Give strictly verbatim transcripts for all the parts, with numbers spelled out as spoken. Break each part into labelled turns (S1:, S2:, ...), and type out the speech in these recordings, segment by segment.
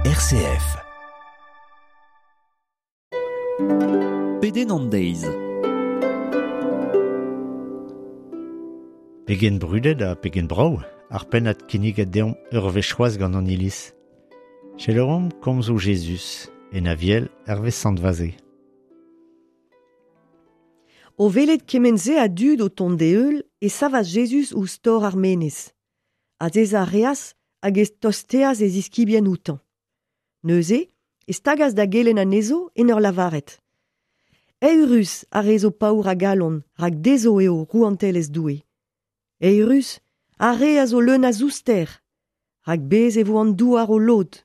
S1: R C F.
S2: Pedenn an deiz.
S3: Pegen brudet ha pegen brav, ar pennad kinniget deomp ur wech c'hoazh gant an iliz. Selaouomp komzoù Jezuz, en Aviel hervez Sant Vaze.
S4: O welet kement-se a dud o tont d'e heul e savas Jezuz ouzh tor ar menez. Azezañ a reas hag e tosteas e ziskibien outañ. Neuze, e stagas da gelenn anezho en ur lavaret. Eürus ar re zo paour a galon, rak dezho eo rouantelezh Doue. Eürus ar re a zo leun a zouster, rak bez e vo an douar o lod.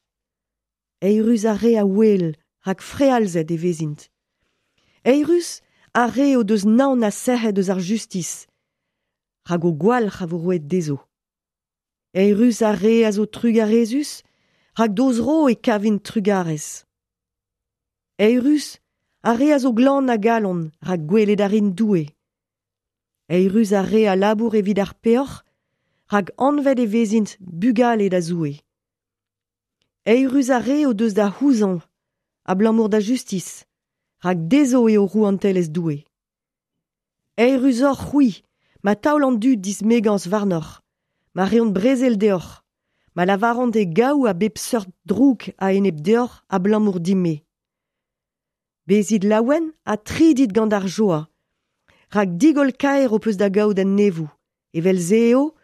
S4: Eürus ar re a ouel, rak frealzet e vezint. Eürus ar re o deus naon ha sec'hed eus ar justis, rak o gwalc'h a vo roet dezho. Eürus ar re a zo trugarezus, rak d'o zro e kavint trugarez. Eürus ar re a zo glan a galon, rak gwelet a rin Doue. Eürus ar re a labour evit ar peoc'h, rak anvet e vezint bugale da Zoue. Eürus ar re o deus da c'houzañv, abalamour da justis, rak dezho eo rouantelezh Doue. Eürus oc'h c'hwi, ma taol an dud dismegañs warnoc'h, ma reont brezel deoc'h, ma lavaront e gaou a bep seurt droug a-enep deoc'h abalamour din-me. Bezit laouen ha tridit gant ar joa, rak digoll kaer ho peus da gaout en nevoù, evel-se eo,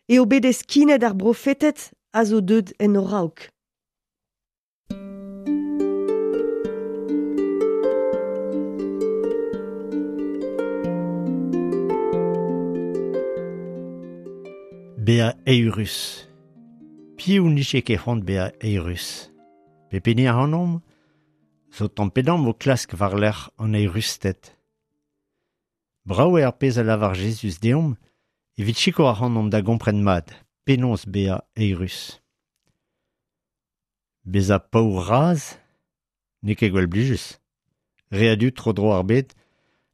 S4: eo bet eskinet ar brofeted a zo deuet en ho raok.
S3: Bezañ eürus. Piv nije ket c'hoant bezañ eürus? Pep hini ac'hanomp zo tamm pe damm o klask war-lerc'h an eürusted. Brav eo ar pezh a lavar Jezuz deomp evit sikour ac'hanomp da gompren mat penaos bezañ eürus. Bezañ paour-razh n'eo ket gwall blijus. Re a dud tro-dro ar bed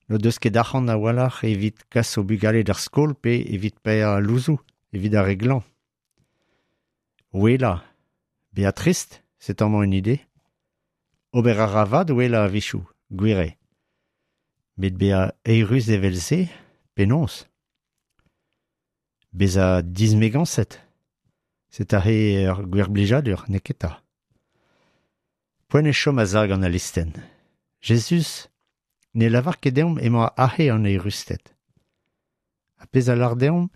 S3: n'o deus ket arc'hant a-walc'h evit kas o bugale d'ar skol pe evit paeañ al louzoù, evit ar re glañv. Ouelañ, bezañ trist, c'est amañ une idée. Ober a ra vat ouelañ a-wechoù, gwir eo. Met bezañ eürus evel-se, penaos? Bezañ dismegañset, c'est aze ur gwir blijadur, n'eo ket 'ta. Poent eo chom a-sav gant al listenn. Jezuz ne lavar ket deomp emañ aze an eürusted. Ar pezh a lar deomp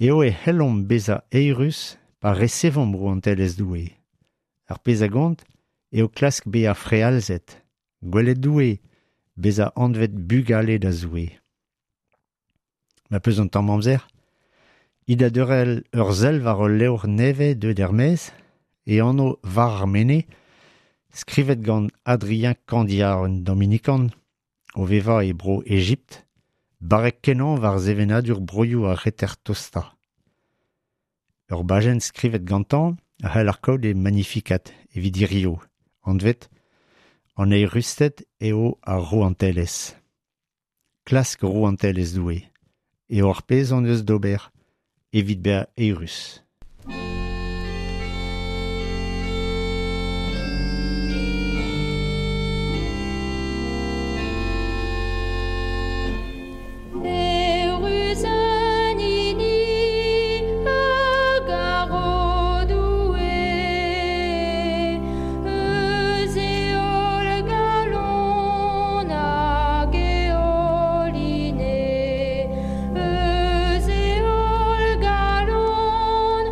S3: eo e c'hellomp bezañ eürus pa resevomp rouantelezh Doue. Ar pezh a gont eo klask bezañ frealzet, gwelet Doue, bezañ anvet bugale da Zoue. Ma peus an tamm amzer, it da deurel ur sell war ul levr nevez deuet er-maez, e anv War ar Menez, skrivet gant Adrien Candiard, un dominikan, o vevañ e bro Ejipt, barrek kenañ war sevenadur broioù ar reter tostañ. Ur bajenn skrivet gantañ a c'hell ar kaout e Magnificat evit hirio, anvet an eürusted eo ar rouantelezh. Klask rouantelezh Doue, eo ar pezh hon eus d'ober evit bezañ eürus.
S5: Eürus an hini a garo Doue, eus e holl galon hag e holl ine, eus e holl galon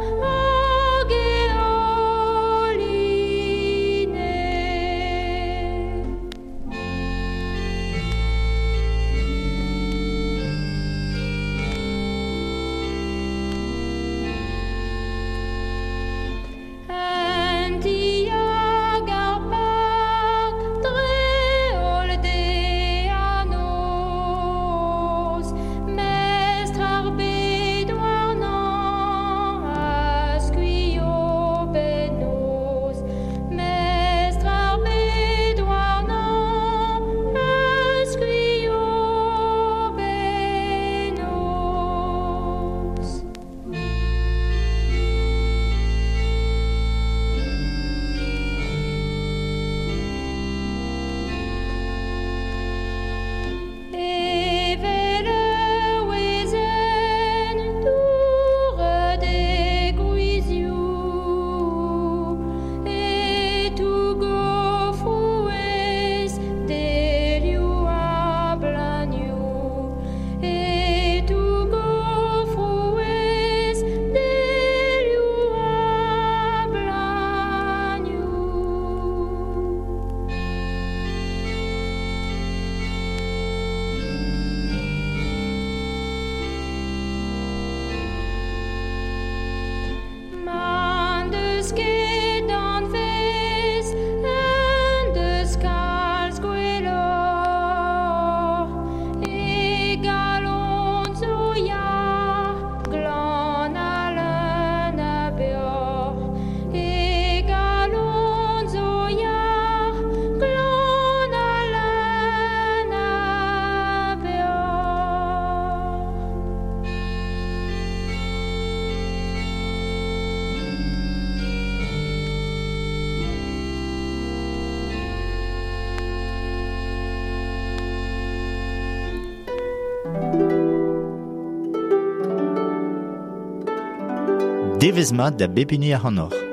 S1: Devezh mat da bep hini ac'hanoc'h.